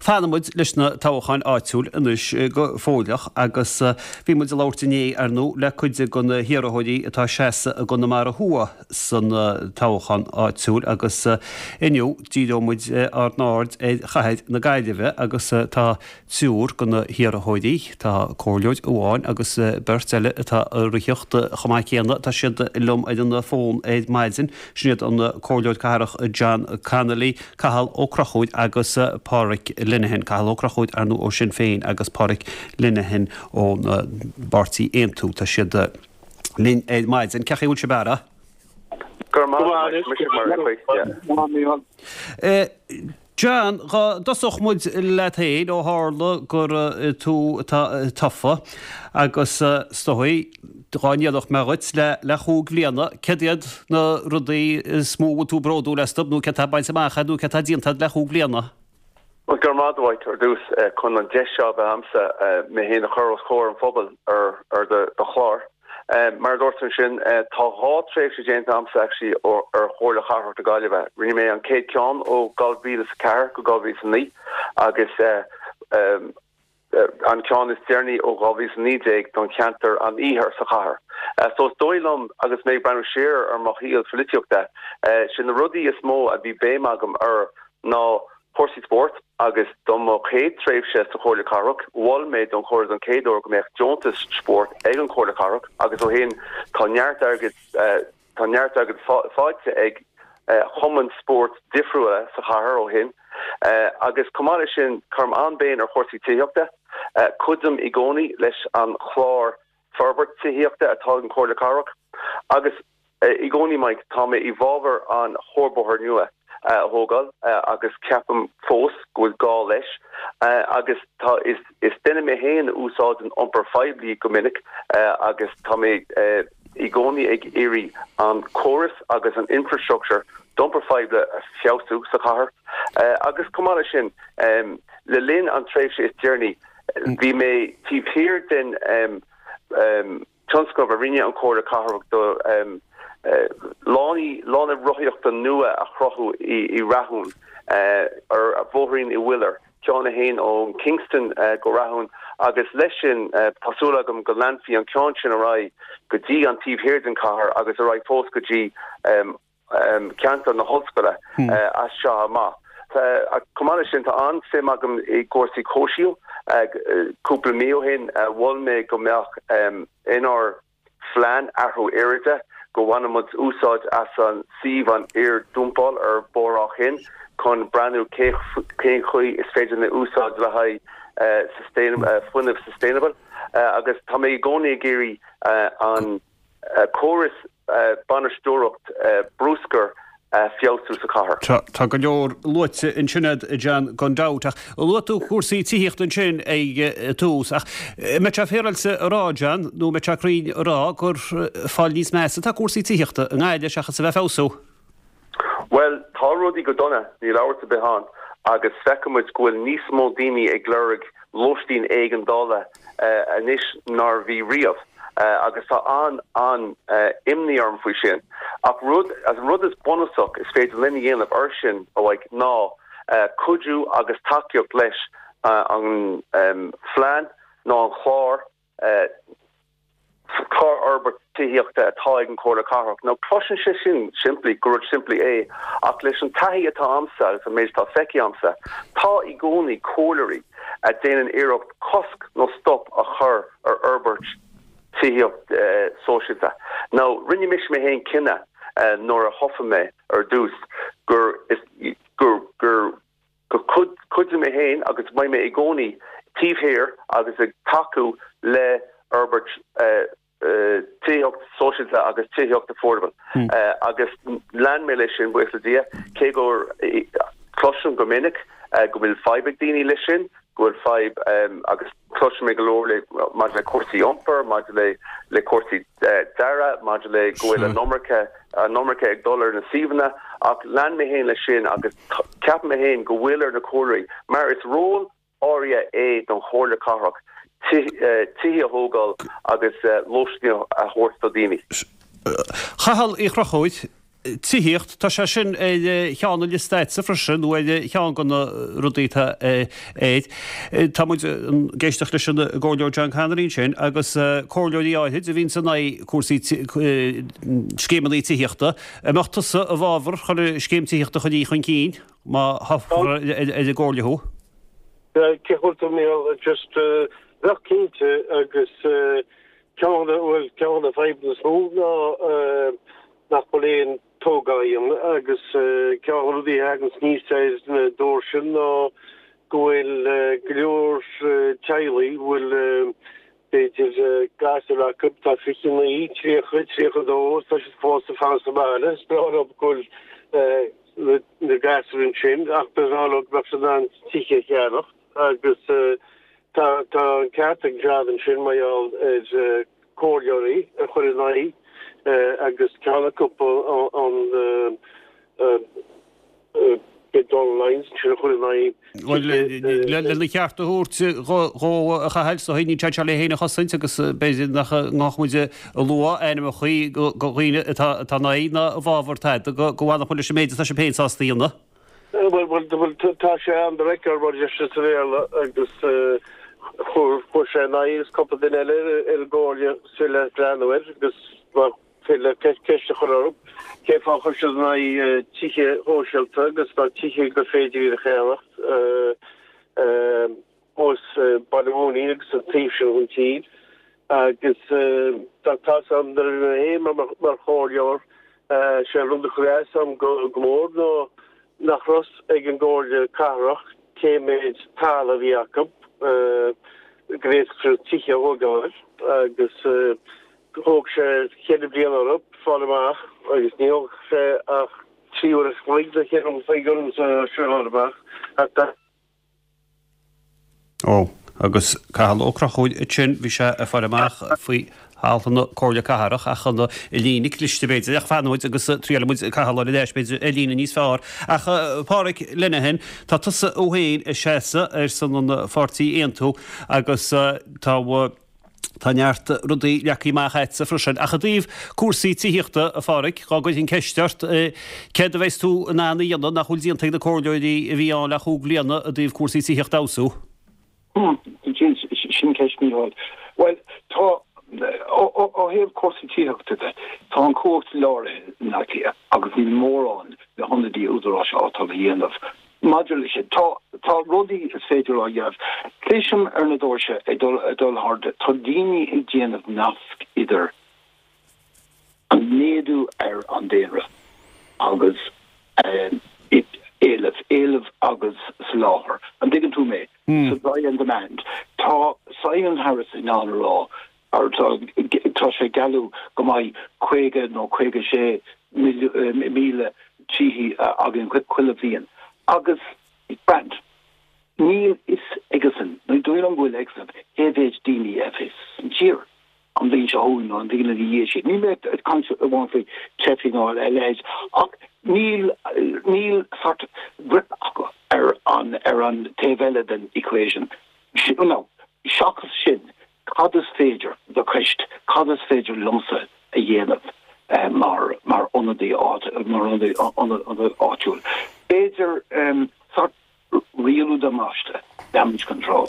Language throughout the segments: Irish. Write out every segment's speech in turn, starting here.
Fanfaidh muid leis na toghcháin áitiúil anois go fóilleach agus bhí muid ag labhairt inné, ar ndóigh, le cuid de na hiarrthóirí atá ag seasamh i gConamara Thuaidh san toghchán áitiúil agus inniu díreoidh muid ár n-aird ar chathair na Gaillimhe agus tá triúr de na hiarrthóirí, tá comhairleoir amháin agus beirt eile atá ag reathaíocht chomh maith céanna, tá siad liom ar an bhfón ar maidin. Sin iad an Comhairleoir Cathrach John Connolly, Cathal Ó Conchúir agus Páraic Lenihan. Cathal Ó Conchúir, ar ndóigh, ó Sinn Féin agus Páraic Lenihan ón bpáirtí Aontú. Tá siad linn ar maidin. Cén chaoi a bhfuil sibh a fheara? Go raibh maith agat, Micheál. John, dhá dtosódh muid leat féin, ó tharla gur tú atá tofa, agus is dóigh, dhá n-iarrfadh mé dhuit le le chúig bhliana, céard iad na rudaí is mó a bhfuil tú bródúil astu, nó céard tá bainte amach agat, nó céard tá déanta agat le chúig bhliana? Bhuel, go raibh maith agat, a Mhaidhc, ar dtús, chun an deis seo a bheith a'msa mé féin a chur os comhair an phobail ar do chlár. Mar a dúirt tú ansin, tá 2 tréimhse déanta a'msa actually ar Chomhairle Chathrach na Gaillimhe. Rinne mé an chéad ceann ó 2004 go 2009 agus an ceann is deireanaí ó 2019 don cheantar an Iarthair sa chathair. So is dóigh liom agus mé ag breathnú siar ar mo shaol pholaitíochta, sé na rudaí is mó a bhí béim agam air ná cúrsaí spóirt agus do mo chéad tréimhse sa Chomhairle Cathrach, mhol mé don Chomhairle don chéad uair go mbeadh deontas spóirt ag an Chomhairle Cathrach agus ó shin tá neart airgid tá neart airgid faighte ag chumainn spóirt difriúla sa chathair ó shin agus chomh maith leis sin cuirim an-béim ar chúrsaí tithíochta. Cuidim i gcónaí leis an chlár forbairt tithíochta atá ag an Chomhairle Cathrach agus i gcónaí, Mike, tá mé i bhfabhar an chuarbhóthar nua a thógáil agus ceapaim fós go bhfuil gá leis agus tá is is duine mé féin a úsáideann iompar phoiblí go minic agus tá mé i gcónaí ag iarraidh an córas agus an infrastructure d'iompar phoiblí a feabhsú sa chathair agus chomh maith leis sin le linn an tréimhse is deireanaí bhí mé taobh thiar den tionscnamh a rinne an Chomhairle Cathrach do lánaí lána rothaíochta nua a chruthú i Rathún ar Bhóithrín Uí Mhuilleoir, ceann a théann ó Kingston go Rathún agus leis sin tá súil agam go leanfaí an ceann sin ar aghaidh go dtí an taobh thiar den chathair agus ar aghaidh fós go dtí ceantar na hollscoile as seo amach. Chomh maith leis sin, tá an-suim agam i gcúrsaí comhshaoil. Cúpla mí ó shin, mhol mé go mbeadh inár phlean athrú aeráide go bhaineadh muid úsáid as an suíomh an iar-dumpáil ar Bhóthar Áth Chinn chun breathnú cén chaoi is féidir linn úsáid le haghaidh fuinneamh sustainable agus tá mé i gcónaí ag iarraidh an córas bainisteoireacht bruscair a feabhsú sa chathair. Tá go leor luaite ansin agat, a John, gan dabht. Ach luaigh tú cúrsaí tithíochta ansin ag tús. Ach an mbeadh sé féaráilte a rá, John, nó an mbeadh sé cruinn a rá gur fáil níos measa atá cúrsaí tithíochta i nGaillimh seachas a bheith ag feabhsú? Bhuel, tá rudaí go dona, níl amhras ar bith ann, agus feiceann muid go bhfuil níos mó daoine ag lorg lóistín éigeandála anois ná a bhí riamh agus tá an an-imní orm faoi sin. Ach rud, an rud is bunúsach is féidir linn a dhéanamh air sin, a Mhaidhc, ná cuidiú agus tacaíocht leis an phlean nó an chlár, clár fhorbairt tithíochta atá ag an Chomhairle Cathrach. Now cloiseann sé sin simplí, gur rud simplí é, ach leis an taithí atá a'msa agus an méid atá feicthe a'msa, tá i gcónaí comhairleoirí a déanann iarracht cosc nó stop a chur ar fhorbairt tithíocht sóisialta. Now rinne mise mé féin cinneadh nuair a thofa mé ar dtús gur gur gur go cuideoidh mé féin agus beidh mé i gcónaí taobh thiar agus ag tacú le fhorbairt tithíocht sóisialta agus tithíocht affordable agus lean mé leis sin, buíochas le Dia, cé gur cloisim go minic go bhfuil fadhb ag daoine leis sin, go bhfuil fadhb agus cloisim mé go leor le maidir le cúrsaí iompair, maidir le le cúrsaí dearaidh, maidir le go bhfuil an iomarca an iomarca ag dul ar na suíomhanna ach lean mé féin leis sin agus ceapaim mé féin go bhfuil ar na comhairleoirí mar is ról áirithe é don Chomhairle Cathrach tithe a thógáil agus lóistín a thabhairt do daoine. Chathail Uí Chonchúir. Tithíocht, tá sé sin ar cheann an liosta agatsa freisin, nó ar cheann de na rudaí atá air. Tá muid ag éisteacht leis an gComhairleoir John Connery ansin agus comhairleoirí áithrid a bhíonns in aghaidh cúrsaí scéimeanna tithíochta. An mbeadh tusa i bhfabhar chun scéim tithíochta a chur chun cinn má thoghfar ar an gcomhairle thú? Cén chaoi a bhfuil tú, Mícheál? Just bheadh cinnte agus ceann de, bhuel, ceann de na fadhbanna is mó ná nach bhfuil aon tógáil á dhéanamh agus ceann de na rudaí a thaganns aníos ar na doirse ná go bhfuil go leor teaghlaigh a bhfuil b'fhéidir gasúir acu atá 29, 30, 32, tá siad fós ag fanacht sa bhaile. Is breá leo go bhfuil na gasúir ansin ach ba bhreá leo go mbeadh siad in ann tithe a cheannacht agus tá tá an ceart ag John ansin mar gheall ar comhairleoirí a chuir in aghaidh agus ceann acu an Donal Lyons ansin a chuir in aghaidh Bhuel, lena cheart a thabhairt dhó a Chathail, so níl sé anseo le é féin a chosaint agus b'fhéidir nach ngá muid a lua ainmneacha de dhaoine atá in aghaidh ná i bhfabhar tada, go bhfanfadh muid leis an méid atá sibh féin sásta a dhéanamh. Bhuel, tá sé on the record mar a deir siad sa Bhéarla agus chuir sé in aghaidh agus cúpla duine eile ar an gcomhairle is féidir leat breathnú air agus féidir leat ceist a chur orthu cén fáth a chuir siad in aghaidh tithe shóisialta agus tá tithe gur féidir iad a cheannacht thuas Baile Mhúirne agus an taobh sin den tír agus tá tá's agam nuair a bhí mé féin mar chomhairleoir sé an rud a chuir as dom go mór ná nach raibh fhios ag an gComhairle Cathrach cé méid talamh a bhí acu go bhféadfadh siad tithe a thógáil agus thóg sé cheithre bliana orthu fáil amach agus ní thógfadh sé ach 3 uair a chloig nó cheithre uair a chloig ormsa é sin a fháil amach ach Ó, agus Cathal Ó Conchúir ansin, bhí sé ag fáil amach faoi thalamh na Comhairle Cathrach ach an líne cliste b'fhéidir, ach fanfaidh muid agus triailfidh muid Cathal a fháil ar ais b'fhéidir ar líne níos fearr. Ach a Pháraic Lenihan, tá tusa thú féin ag seasamh ar son an pháirtí Aontú agus tá Tá neart rudaí leagtha amach agatsa freisin. Ach i dtaobh cúrsaí tithíochta, a Pháraic, dhá gcuirfinn ceist ort, céard a bheas tú in ann a dhéanamh nach bhfuil déanta ag na comhairleoirí a bhí ann le chúig bhliana i dtaobh cúrsaí tithíochta a fheabhsú? Sin ceist, Mícheál. Bhuel, tá, ó thaobh cúrsaí tithíochta de, tá an chumhacht láraithe in Áth Cliath agus níl mórán na hionadaithe údaráis áitiúil a dhéanamh Maidir leis sin, tá, tá rudaí is féidir á dhéanamh. Cloisim ar na doirse ag dul, ag dul thart, tá daoine ag déanamh nasc idir an méadú ar an daonra agus éileamh, éileamh agus soláthar. An dtuigeann tú mé? Supply and demand. Tá Simon Harris in ann a rá Ar tá sé ag gealladh go mbeidh 50 nó 56 míle tithe againn chuile bhliain agus grand. Níl fhios aigesan, ní dóigh liom go bhfuil aigesan cé mhéid daoine a bheas san tír an bhliain seo chugainn nó an bhliain ina dhiaidh sin. Níl mé ag caint amháin faoi teifigh ná a leithéid ach níl níl sort grip acu ar an ar an taobh eile den equation. Now, seachas sin, Cad is féidir, do cheist, cad is féidir liomsa a dhéanamh mar mar ionadaí mar ionadaí áitiúil? B'fhéidir sort rialú damáiste, damage control,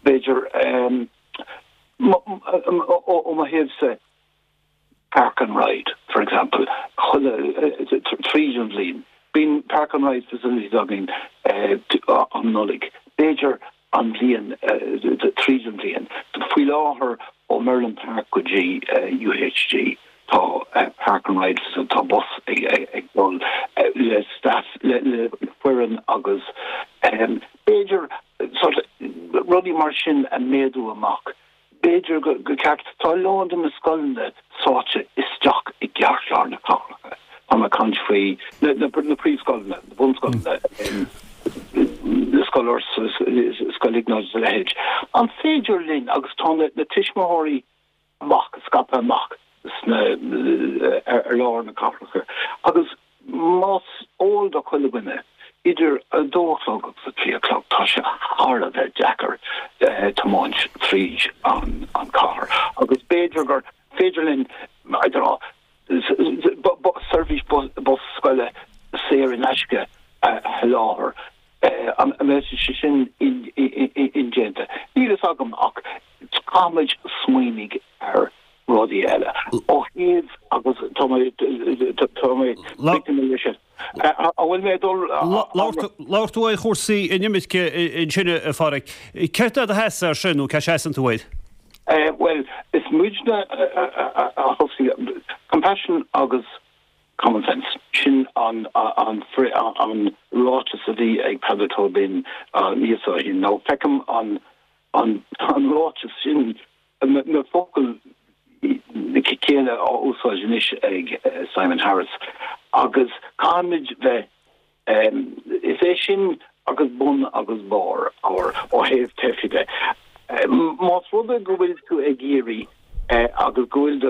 b'fhéidir ó mo thaobhsa, Park and Ride, for example, chuile, tríd an bhliain. Bíonn Park and Ride facilities againn um Nollaig. B'fhéidir an bhliain, tríd an bhliain. Faoi láthair, ó Merlin Park go dtí UHG, tá Park and Ride facility, tá bus ag dul le staff, le foireann agus b'fhéidir sort rudaí mar sin a méadú amach. B'fhéidir gur ceart. Tá a lán de na scoileanna sáite isteach i gceartlár na cathracha. Tá mé ag caint faoi na príomhscoileanna, na bunscoileanna, Scoil Fhursa, Scoil Iognáid is a leithéid. An féidir linn, agus tá na tuismitheoirí amach, scaipthe amach sna, ar lár na cathracha agus más eol do chuile dhuine, idir a dó a chlog agus a trí a chlog, tá sé thar a bheith deacair tiomáint tríd an chathair agus b'fhéidir gur féidir linn, I don't know, seirbhís bus. fhios agam ach caithfimid smaoinigh ar rudaí eile. Ó thaobh agus tá mé tá mé leis sin. An bhfuil mé ag dul Labhair tú ar chúrsaí inimirce ansin a Pháraic. Céard é do sheasamh air sin nó cá seasann tú air? Bhuel, is muidne a thosaigh Compassion agus Common Sense. Sin an an ráiteas a bhí ag Peadar Tóibín míosa ó shin. Now feicim an an ráiteas sin, na focail céanna á úsáid anois ag Simon Harris agus caithfimid bheith, is é sin agus bun agus barr ár ó thaobh teifigh de. Más rud é go bhfuil tú ag iarraidh agus go bhfuil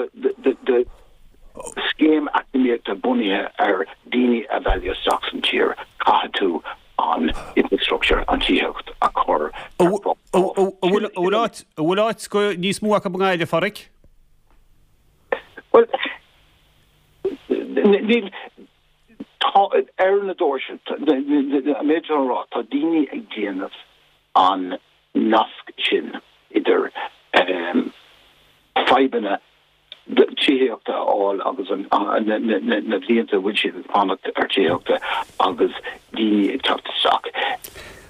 do scéim eacnamaíochta bunaithe ar daoine a mhealladh isteach san tír, caithfidh tú an infrastructure, an tithíocht a chur ar fáil. An bhfuil áit do níos mó acu i nGaillimh, a Pháraic? Bhuel, níl, tá, ar na doirse, an méid atá a rá, tá daoine ag déanamh an nasc sin idir fadhbanna tithíochta a fháil agus na blianta a bhfuil siad ag fanacht ar tithíochta agus daoine ag teacht isteach.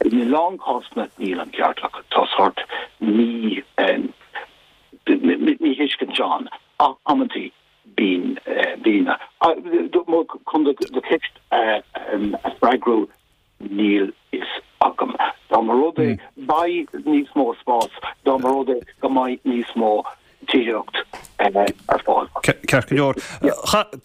In a lán cásanna níl an ceart acu. Tá sórt mí míthuiscint ann ach amantaí bíonn bíonn. Chun do cheist a freagrú Níl fhios agam. Dá mba rud é beidh níos mó spás, dá mba rud é go mbeidh níos mó tithíocht ar fáil. Ceart go leor.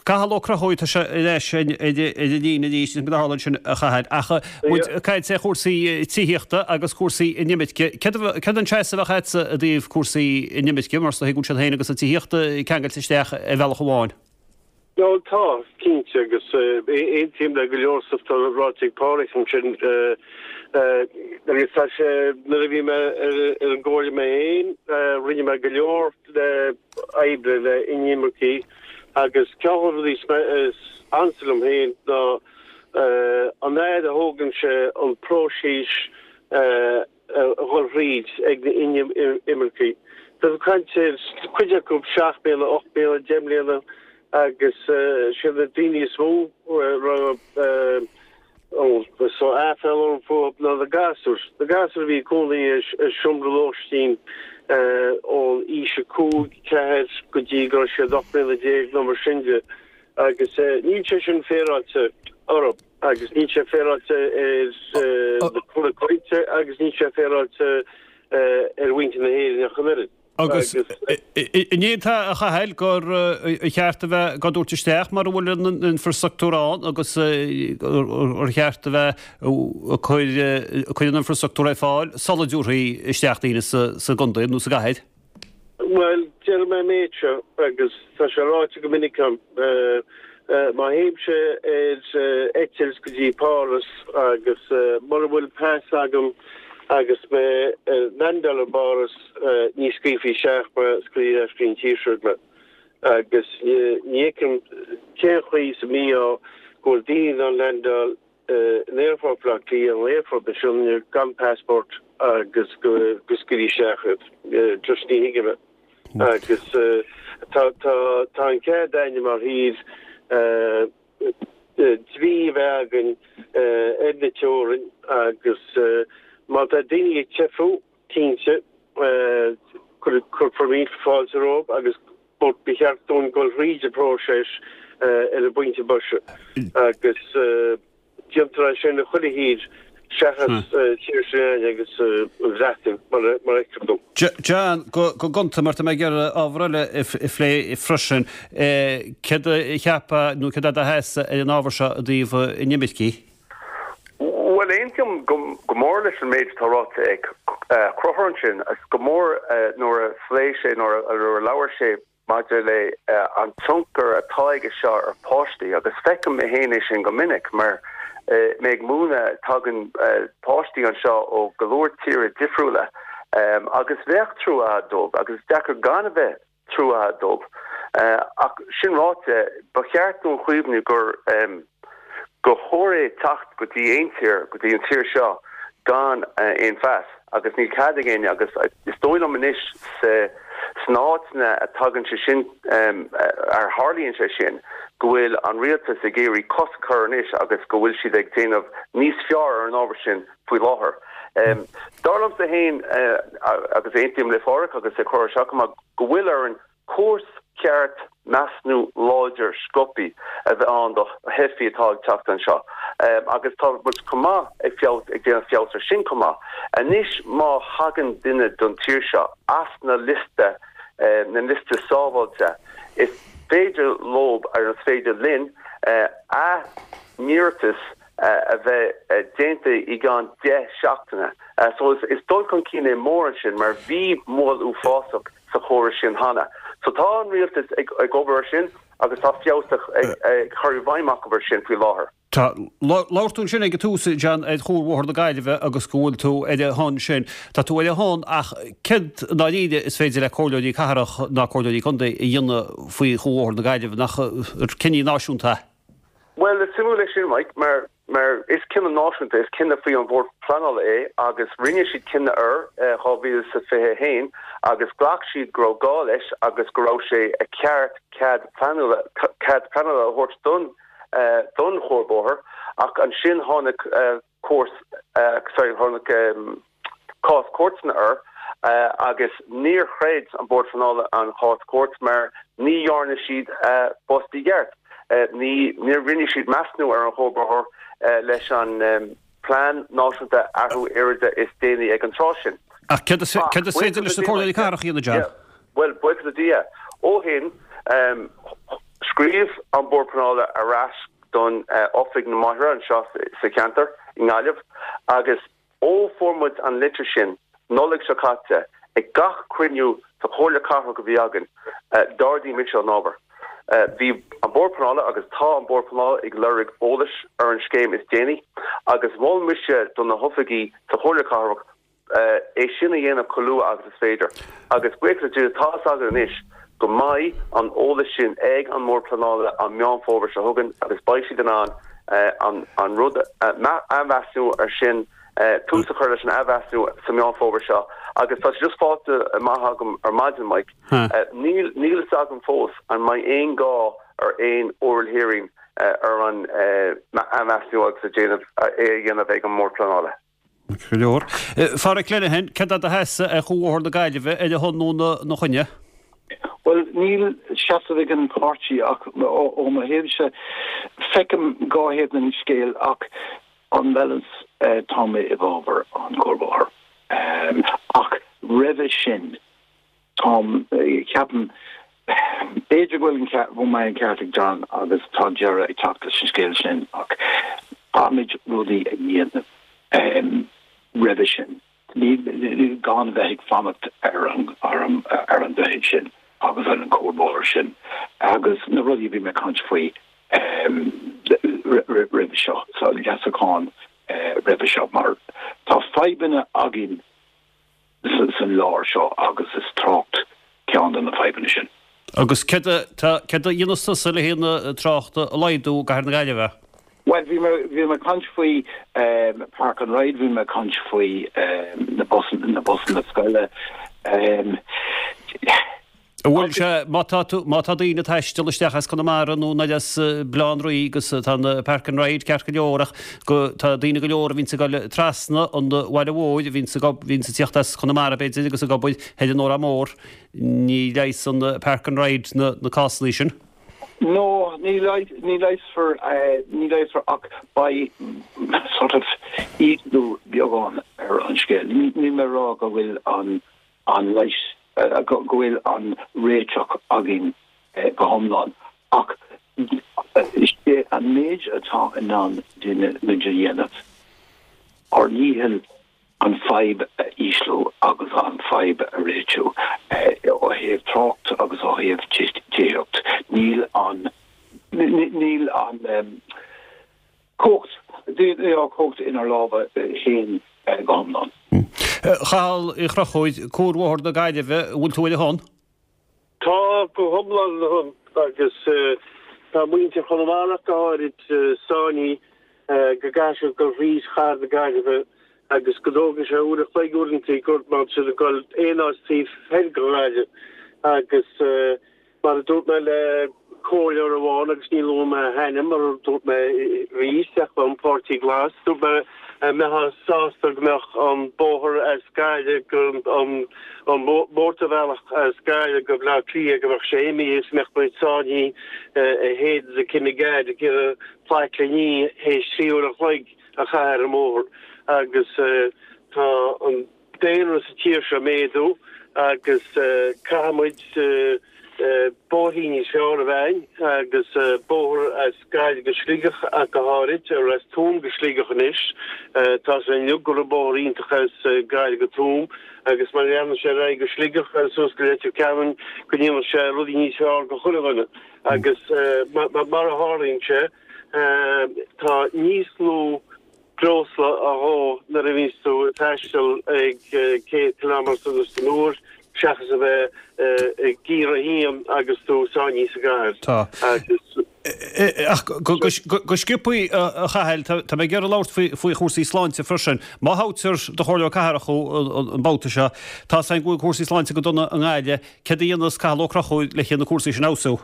Cathal Ó Conchúir, tá sé ar ais ar an líne arís, is mar a tharla ansin a Chathail. Ach muid ag caint ar chúrsaí tithíochta agus cúrsaí inimirce, céard an seasamh a bheadh agatsa i dtaobh cúrsaí inimirce, mar is dóigh go bhfuil siad féin agus an tithíocht ceangailte isteach ar bhealach amháin? Bhuel, tá, cinnte, agus aontaím le go leor stuif atá ráite ag Páraic ansin. Agus tá sé, nuair a bhí mé ar an gcomhairle mé féin, rinne mé go leor oibre le inimircigh agus ceann de na rudaí is ansa liom féin ná an fhad a thógann sé an próiseas a dhul thríd ag na inimircigh. Tá tú ag caint ar cuid acu 7 mbliana, 8 mbliana, 10 mbliana agus siad na daoine is mó a raibh so aiféala orm fúthu ná na gasúir. Na gasúir a bhí ag cónaí i seomra lóistín ón aois 5, 4 go dtí go raibh siad 18 mbliana nó mar sin de agus níl sé sin féaráilte orthu. Agus níl sé féaráilte ar na coillte agus níl sé féaráilte ar mhuintir na hÉireann ach an oiread. Agus an aontaíonn a Chathail gur cheart a bheith á dtabhairt isteach mura bhfuil an infrastruchtúr ann agus gur cheart a bheith ag cur an infrastruchtúr ar fáil sula dtabharfaí isteach daoine sa gcontae nó sa gcathair? Bhuel, déarfaidh mé an méid seo, agus tá sé ráite go minic agam, má théimse ar eitilt go dtí Páras agus mura bhfuil pas agam agus mé ag landáil i bPáras, ní scaoilfí isteach mé, scaoilfí ar ais go dtí an tír seo mé. Agus ní fheicim cén chaoi sa mí-ádh go bhfuil daoine in ann landáil in Aerfort Bhaile Átha Cliath nó Aerfort na Sionainne gan passport agus go scaoilfí isteach iad. Just ní thuigim é. Agus tá tá tá an cead againne mar thír dlí a bheith againn ar na teorainn agus má tá daoine ag teifiú, cinnte, cuirfear mílte fáilte rompu agus But ba cheart dúinn dul thríd an bpróiseas ar an bpointe boise agus déantar é sin i chuile thír seachas tír s'againne agus an Bhreatain mar a fheictear dom. John, go gonta, mar tá mé ag iarraidh ábhar eile a phlé freisin, céard a cheapfá nó céard é do sheasamh ar an ábhar seo i dtaobh inimircigh? Bhuel, aontaím go mór leis an méid atá ráite ag Conchúr ansin, agus go mór nuair a phléigh sé, nuair a labhair sé maidir le an tionchar atá aige seo ar pháistí, agus feicim mé féin é sin go minic, mar mé ag múineadh, tagann páistí anseo ó go leor tíortha difriúla, agus bheadh trua dóibh, agus is deacair gan a bheith trua dóibh. Ach sin ráite, ba cheart dúinn cuimhniú gur gur chóir é teacht go dtí aon tír, go dtí an tír seo, gan aon phas. agus níl cead ag éinne agus is dóigh liom anois sa sna áiteanna a tagann sé sin ar tharlaíonn sé sin go bhfuil an rialtas ag iarraidh cosc a chur anois agus go bhfuil siad ag déanamh níos fearr ar an ábhar sin faoi láthair. Dar liomsa féin agus aontaím le Pádhraic agus é ag cur isteach go maith go bhfuil orainn córas ceart measúnú láidir sciobthaí a bheith ann do theifigh atá ag teacht anseo agus tá muid chomh maith ag feabhas ag déanamh feabhas ar sin chomh maith. Anois má thagann duine don tír seo as na liosta na liosta sábháilte is féidir leob ar is féidir linn a n-iarratas a bheith déanta i gceann 10 seachtaine. So is dul chun cinn é mór ansin mar bhí moill uafásach sa chóras sin cheana. So tá an rialtas ag obair ar sin agus tá feabhas ag cur i bhfeidhm acu ar sin faoi láthair. Tá. Labhair tú ansin ag an tús, John, ar Chuarbhóthar na Gaillimhe agus go bhfuil tú ar a shon sin. Tá tú ar a shon ach céard i ndáiríre is féidir le comhairleoirí cathrach ná comhairleoirí contae a dhéanamh faoi Chuarbhóthar na Gaillimhe? Nach cinneadh náisiúnta é? Bhuel, is suimiúil é sin, Mike, mar mar is cinneadh náisiúnta, is cinneadh faoi an Bhord Pleanála é agus rinne siad cinneadh air i 2021 agus ghlac siad go raibh gá leis agus go raibh sé ceart cead pleanála cead pleanála a thabhairt don don chuarbhóthar ach ansin tháinig cúirt, sorry, tháinig cás cúirteanna air agus níor chreid an Bord Pleanála an chás cúirt mar ní dhearna siad a bpost i gceart. Ní, níor rinne siad measúnú ar an chuarbhóthar leis an Plean Náisiúnta Athrú Aeráide is déanaí ag an tráth sin. Ach céard is, céard is féidir leis na comhairleoirí cathrach a dhéanamh, John? Bhuel, buíochas le Dia, ó shin, scríobh an Bord Pleanála ar ais don Oifig na mBóithre anseo sa cheantar i nGaillimh agus ó fuair muid an litir sin Nollaig seo caite ag gach cruinniú sa Chomhairle Cathrach a bhí againn d'ardaigh mise an ábhar. Bhí an Bord Pleanála agus tá an Bord Pleanála ag lorg eolais ar an scéim is déanaí agus mhol mise do na hoifigí sa Chomhairle Cathrach é sin a dhéanamh chomh luath agus is féidir. Agus buíochas le Dia, tá fhios againn anois go mbeidh an eolas sin ag an mBord Pleanála an Meán Fómhair seo chugainn agus beidh siad in ann an rud a athmheasúnú ar sin, tús a chur leis an athmheasúnú sa Meán Fómhair seo. Agus tá sé just faighte amach agam ar maidin, Mike, níl níl fhios agam fós an mbeidh aon gá ar aon oral hearing ar an athmheasúnú agus a déanamh é a dhéanamh ag an mBord Pleanála. Go leor. Phádraic Lenihan, céard é do sheasamh ar Chuarbhóthar na Gaillimhe, ar a shon nó ina choinne? Bhuel, níl seasamh ag an páirtí ach ó mo thaobhse, feicim dhá thaobh den scéal ach on balance tá mé i bhfabhar an chuarbhóthair. Ach roimhe sin, Táim, ceapaim, b'fhéidir go bhfuil an ceart, go mbeidh an ceart ag John agus tá deireadh ag teacht leis an scéal sin ach caithfimid rudaí a dhéanamh roimhe sin. Ní, gan bheith ag fanacht ar an, ar an, ar an droichead sin agus ar an chuarbhóthar sin agus na rudaí a bhí mé ag caint faoi roimhe seo, sa leasachán roimhe seo mar tá fadhbanna againn san lár seo agus is trácht ceann de na fadhbanna sin. Agus céard a, céard a dhéanfas tusa le haghaidh an trácht a laghdú i gcathair na Gaillimhe? Bhuel, bhí mé, bhí mé ag caint faoi Park and Ride, bhí mé ag caint faoi na busanna, na busanna scoile. An bhfuil sé, má tá tú, má tá daoine ag taisteal isteach as Conamara nó anoir as Baile Átha an Rí agus tá an Park and Ride ceart go leor ach go, tá daoine go leor a bhíonns ag dul trasna an bhaile mhóir, a bhíonns ag, bhíonns ag tíocht as Conamara b'fhéidir agus ag obair thoir in Órán Mór, ní leigheasann an Park and Ride na, na cásanna sin. No, ní ní leigheasfar, ní leigheasfar ach beidh sort of ísliú beagán ar an scéal. Níl mé ag rá go bhfuil an an leigheas, go bhfuil an réiteach againn go hiomlán, ach is é an méid atá in ann duine muid a dhéanamh, ár ndícheall an fadhb a ísliú agus an fadhb a réitiú ó thaobh trácht agus ó thaobh tithíocht. Níl an, níl an cumhacht, níl an cumhacht inár lámha féin go hiomlán. A Chathail Uí Chonchúir, Cuarbhóthar na Gaillimhe, an bhfuil tú ar a shon? Tá, go hiomlán ar a shon agus tá muintir Chonamara ach go háirid sáinnithe go gcaithfidh siad dul thríd chathair na Gaillimhe. agus go dtógann sé uair a chloig uaireanta gur má tá siad ag dul aon áit taobh thoir de Ghaillimh agus mar a dúirt mé le comhairleoir amháin agus ní luafaidh mé a hainm mar a dúirt mé arís ach ón Pháirtí Glas dúirt mé an mbeifeá sásta go mbeadh an bóthar as Gaillimh go an an mótarbhealach as Gaillimh go Bleá Cliath go mbeadh sé imithe is mbeadh muid sáinnithe i Hayden's i Kinnegad ag iarraidh plaic a ní théis 3 uair an chloig a chaitheamh ar an mbóthar agus tá an daonra sa tír seo ag méadú agus caithfidh muid bóithrí níos fearr a bheith againn agus bóthar as Gaillimh go Sligeach ach go háirid, or as Tuaim go Sligeach anois. Tá sé inniu go raibh bóthar iontach as Gaillimh go Tuaim agus má leanann sé ar aghaidh go Sligeach agus suas go Leitir Ceanainn go ndéanfaidh sé rudaí níos fearr go chuile dhuine agus mar a tharlaíonn sé tá níos lú breosla á dhó nuair a bhíonns tú ag taisteal ag 100 kilometre san uair seachas a bheith i giar a haon agus tú sáinnithe sa gcathair. Tá. Agus. Ach go sciobthaí, a Chathail, tá mé ag iarraidh labhairt faoi chúrsaí sláinte freisin. Má thoghtar do chomhairleoir cathrach thú an babhta seo, tá 's againn go bhfuil cúrsaí sláinte go dona i nGaillimh. Céard a dhéanfas Cathal Ó Conchúir le na cúrsaí sin a fheabhsú?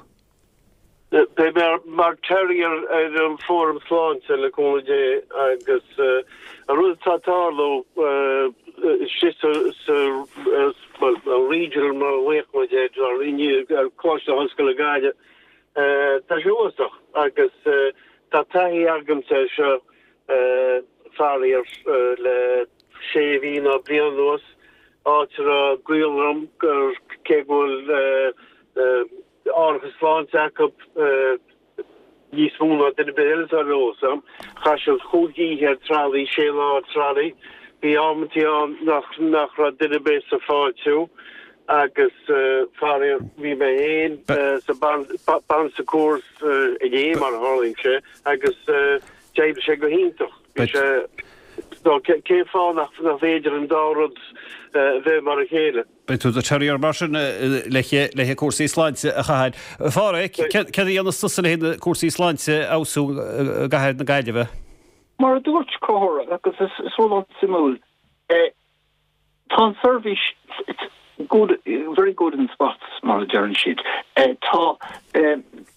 Beidh mé mar Terrier ar an Fóram Sláinte le cúnamh Dé agus an rud atá ag tarlú istigh sa bhuel an regional mar a ghlaoch muid air ar Coláiste na hOllscoile Gaillimh tá sé uafásach agus tá taithí agamsa air seo faraor le sé mhí nó bliain anuas áit a raibh gaol orm gur cé go bhfuil árachas sláinte acu níos mó ná duine ar bith eile atá ar eolas agam. Chaith siad chúig oíche ar trolley, sé lá ar trolley. Bhí amantaí ann nach nach raibh duine ar bith sa fáiltiú agus faraor bhí mé féin sa Bon Secours inné mar a tharlaíonn sé agus d'oibrigh sé go hiontach. Bhí sé cén fáth nach féidir an dá rud a bheith mar a chéile? Beidh tú i do Terrier mar sin le haghaidh cúrsaí sláinte a Chathail. A Pháraic, céard a dhéanfas tusa le haghaidh na cúrsaí sláinte a fheabhsú i gcathair na Gaillimhe? Mar a dúirt Conchúr, agus is rud an-suimiúil, tá an seirbhís good, very good in spots mar a deireann siad. Tá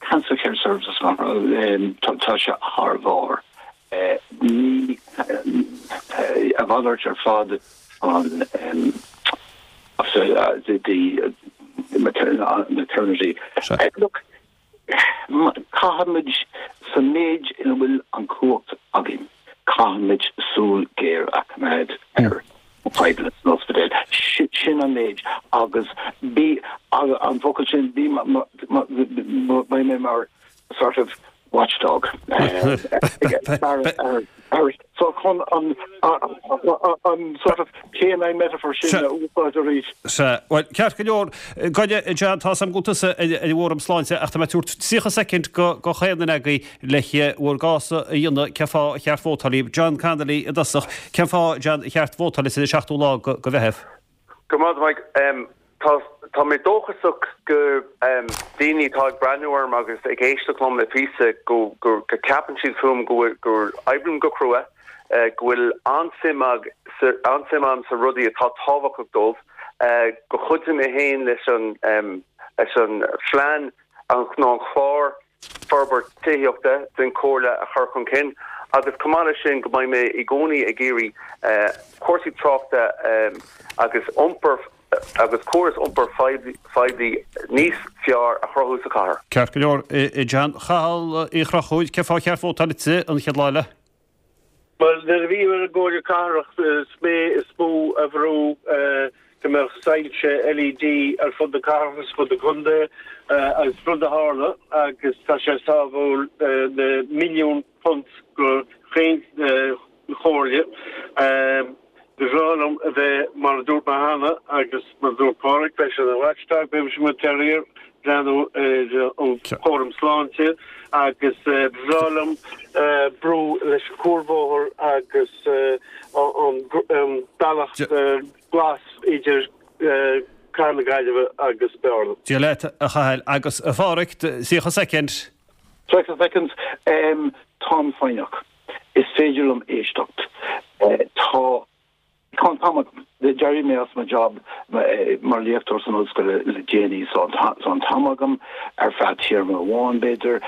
cancer care services mar tá sé thar bharr. Ní a mhalairt ar fad an the maternity. Look, caithfimid sa méid ina bhfuil an chumhacht againn, caithfimid súil ghéar a choimeád ar na fadhbanna san ospidéal. Sin an méid agus bí an focal sin, bí beidh mé mar sort of watchdog so chun an an sort of canine metaphor sin a úsáid arís. Sea, bhuel, ceart go leor, gabh i leith, John, tá 's agam go bhfuil tusa ar an bhFóram Sláinte ach tá mé ag tabhairt 30 soicind go chaon duine agaibh le bhur gcás a dhéanamh cén fáth ar cheart vótáil daoibh. John Connolly i dtosach, cén fáth, John, ar cheart vótáil duit ar an 7ú lá go Mheitheamh? Go raibh maith agat Mike. Tá tá mé dóchasach go daoine atá ag breathnú orm agus ag éisteacht liom le píosa go go go ceapann siad fúm go bhfuil go oibrím go crua, go bhfuil an-suim ag an-suim agam sa rudaí atá tábhachtach dóibh, go chuideoidh mé féin leis an leis an phlean an nó an chlár forbairt tithíochta den Chomhairle a chur chun cinn agus chomh maith leis sin go mbeidh mé i gcónaí ag iarraidh cúrsaí tráchta agus iompar agus córas iompair phoiblí níos fearr a chruthú sa chathair. Ceart go leor, a John. Cathal Uí Chonchúir, cén fáth ar cheart vótáil duitse an chéad lá eile? Bhuel, nuair a bhí mé ar an gComhairle Cathrach is mé is mó a bhrú go mbeadh soilse LED ar fud na cathrach agus fud na contae agus rud a tharla agus tá sé ag sábháil na milliún punt go chaon chomhairle. Ba bhreá liom a bheith, mar a dúirt mé cheana agus mar a dúirt Páraic, beidh sé ina watchdog, beidh mise i mo terrier, breathnú ar an chúram sláinte agus ba bhreá liom brú leis an cuarbhóthar agus an bealach glas idir Cathair na Gaillimhe agus Bearna. Dia leat, a Chathail. Agus a Pháraic, 30 soicind. 30 seconds. Táim foighneach. Is féidir liom éisteacht. Tá. Tá an t-am agam. D'éirigh mé as mo job mar léachtóir san ollscoil le déanaí so tá an t-am agam ar feadh téarma amháin b'fhéidir,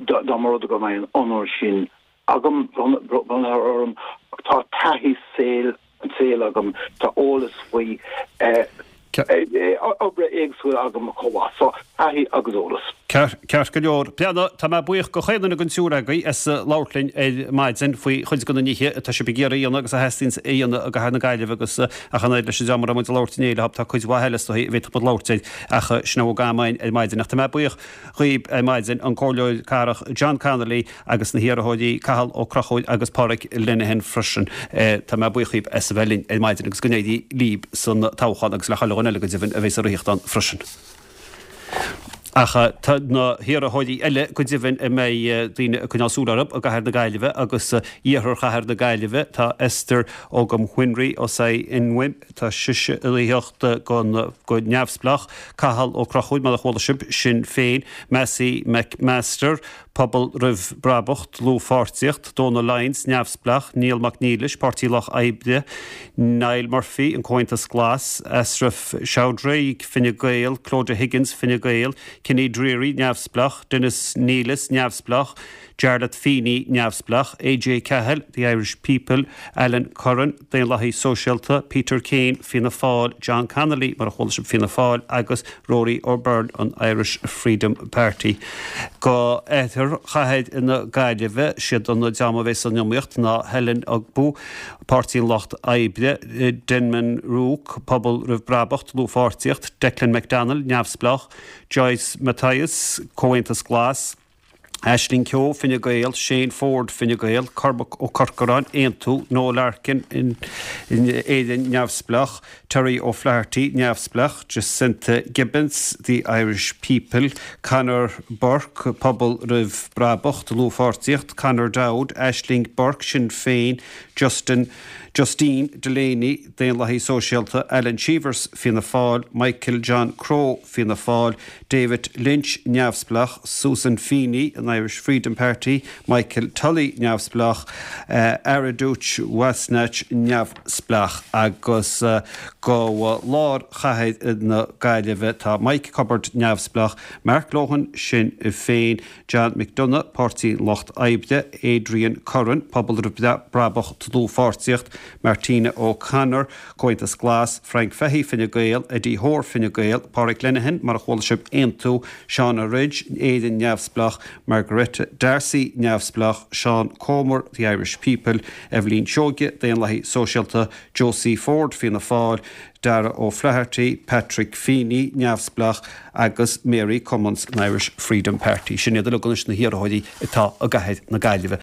dá mba rud é go mbeidh an onóir sin agam, bronnta orm. Tá taithí saoil an tsaoil agam, tá eolas faoi obair éagsúil agam chomh maith. So, taithí agus eolas. Ceart go leor. Breandán, tá mé buíoch go chaon duine den triúr agaibh as labhairt linn ar maidin faoi chuid de na nithe atá sibh ag iarraidh a dhéanamh agus a theastaíonns a dhéanamh i gcathair na Gaillimhe agus ach an oiread leis an dream a raibh muid ag labhairt inné leo, tá cuid mhaith eile is dóigh a bhféadfadh muid labhairt air ach sin a bhfuil d'am againn ar maidin. Ach tá mé buíoch dhaoib ar maidin, an Comhairleoir Cathrach John Connolly agus na hiarrthóirí Cathal Ó Conchúir agus Pádraig Lenihan freisin. Tá mé buíoch dhaoib as a bheith linn ar maidin agus go n-éirí líb san toghchán agus le chuile dhuine eile go deimhin a bheas ag rith ann freisin. Ach tá na hiarrthóirí eile go deimhin a mbeidh daoine ag coinneáil súil orthu i gcathair na Gaillimhe agus iarthar chathair na Gaillimhe, tá Esther Ogam-Whinry Osayinwim, Tá sise ag reathaíocht go neamhspleách. Cathal Ó Conchúir, mar a chuala sibh, Sinn Féin, Massey McMaster, Pobal Roimh Brabach, Dlúthpháirtíocht, Donal Lyons, Neamhspleách, Niall Mac Niallais, Páirtí Lucht Oibre, Niall Murphy, An Comhaontas Glas, Ashraf Chowdhury, Fine Gael, Clodagh Higgins, Fine Gael, Kenny Dreary, Neamhspleách, Denis Neillis, Neamhspleách, Jarlath Feeney, Neamhspleách, AJ Cahill, The Irish People, Alan Curran, Daonlathaí Sóisialta, Peter Kane, Fianna Fáil, John Connolly, mar a chuala sibh, Fianna Fáil, agus Rory O'Byrne, an Irish Freedom Party. Go oirthear chathair na Gaillimhe, siad an dream a bheidh san iomaíocht ná Helen Ogbu, Páirtí an Lucht Oibre, Denman Rook, Pobal Roimh Brabach, Dlúthpháirtíocht, Declan McDonnell, Neamhspleách, Joyce Matthias, Comhaontas Glas, Aisling Keogh, Fine Gael, Shane Forde, Fine Gael, Cormac Ó Corcoráin, Aontú, Noel Larkin, Éire Neamhspleách, Terry O'Flaherty, Neamhspleách, Jacinta Gibbons, The Irish People, Conor Burke, Pobal Roimh Brabach, Dlúthpháirtíocht, Conor Dowd, Aisling Burke, Sinn Féin, Justin, Justine Delaney, Daonlathaí Sóisialta, Alan Cheevers, Fianna Fáil, Michael John Crowe, Fianna Fáil, David Lynch, Neamhspleách, Susan Feeney, an Irish Freedom Party, Michael Tully, Neamhspleách, Areduch Wasnach, Neamhspleách, agus go lár chathair na Gaillimhe tá Mike Cubbard, Neamhspleách, Mark Lohan, Sinn Féin, John McDonagh, Páirtí an Lucht Oibre, Adrian Curran, Pobal Roimh Brabach, Dlúthpháirtíocht, Martina O'Connor, Comhaontas Glas, Frank Fahy, Fine Gael, Eddie Hoare, Fine Gael, Pádraig Lenihan, mar a chuala sibh, Aontú, Shauna Ridge, Éire Neamhspleách, Margaretta D'Arcy, Neamhspleách, Seán Comer, The Irish People, Eibhlín Seoige, Daonlathaí Sóisialta, Josie Ford, Fianna Fáil, Darragh O'Flaherty, Patrick Feeney, Neamhspleách, agus Mary Cummins, an Irish Freedom Party. Sin iad uilig anois na hiarrthóirí atá i gcathair na Gaillimhe.